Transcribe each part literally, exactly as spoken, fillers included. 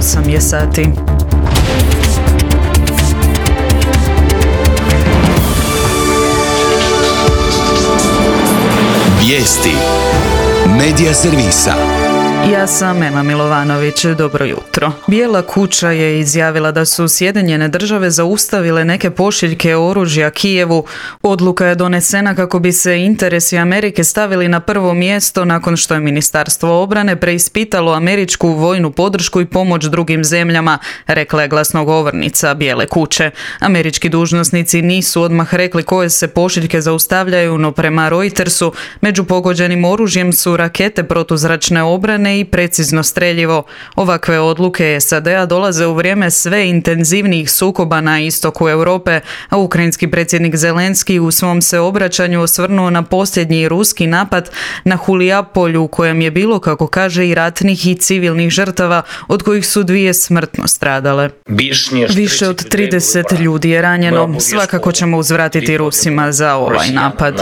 osam je sati. Vijesti Medija servisa. Ja sam Ema Milovanović, dobro jutro. Bijela kuća je izjavila da su Sjedinjene države zaustavile neke pošiljke oružja Kijevu. Odluka je donesena kako bi se interesi Amerike stavili na prvo mjesto nakon što je Ministarstvo obrane preispitalo američku vojnu podršku i pomoć drugim zemljama, rekla je glasnogovornica Bijele kuće. Američki dužnosnici nisu odmah rekli koje se pošiljke zaustavljaju, no prema Reutersu među pogođenim oružjem su rakete protuzračne obrane i precizno streljivo. Ovakve odluke S A D-a dolaze u vrijeme sve intenzivnijih sukoba na istoku Europe, a ukrajinski predsjednik Zelenski u svom se obraćanju osvrnuo na posljednji ruski napad na Hulijapolju u kojem je bilo, kako kaže, i ratnih i civilnih žrtava, od kojih su dvije smrtno stradale. Više od trideset ljudi je ranjeno. Svakako ćemo uzvratiti Rusima za ovaj napad.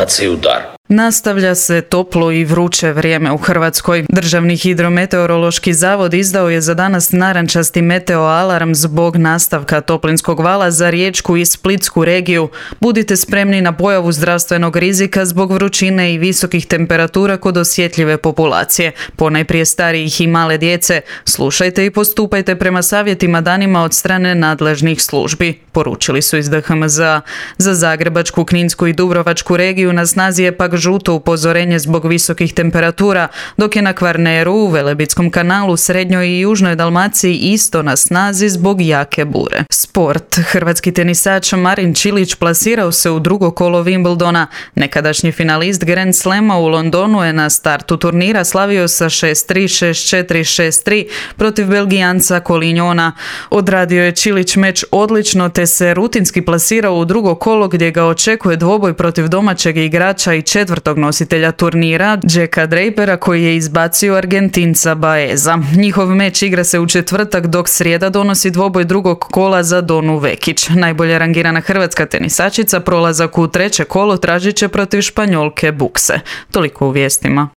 Nastavlja se toplo i vruće vrijeme u Hrvatskoj. Državni hidrometeorološki zavod izdao je za danas narančasti meteo alarm zbog nastavka toplinskog vala za Riječku i Splitsku regiju. Budite spremni na pojavu zdravstvenog rizika zbog vrućine i visokih temperatura kod osjetljive populacije, ponajprije starijih i male djece. Slušajte i postupajte prema savjetima danima od strane nadležnih službi, poručili su iz D H M Z A. Za Zagrebačku, Kninsku i Dubrovačku regiju na snazi je pak žuto upozorenje zbog visokih temperatura, dok je na Kvarneru, u Velebitskom kanalu, Srednjoj i Južnoj Dalmaciji isto na snazi zbog jake bure. Sport. Hrvatski tenisač Marin Čilić plasirao se u drugo kolo Wimbledona. Nekadašnji finalist Grand Slama u Londonu je na startu turnira slavio sa šest tri, šest četiri, šest tri protiv Belgijanca Collignona. Odradio je Čilić meč odlično te se rutinski plasirao u drugo kolo gdje ga očekuje dvoboj protiv domaćeg igrača i četvrtog nositelja turnira, Jacka Drapera, koji je izbacio Argentinca Baeza. Njihov meč igra se u četvrtak, dok srijeda donosi dvoboj drugog kola za Donu Vekić. Najbolje rangirana hrvatska tenisačica prolazak u treće kolo tražit će protiv Španjolke Bukse. Toliko u vijestima.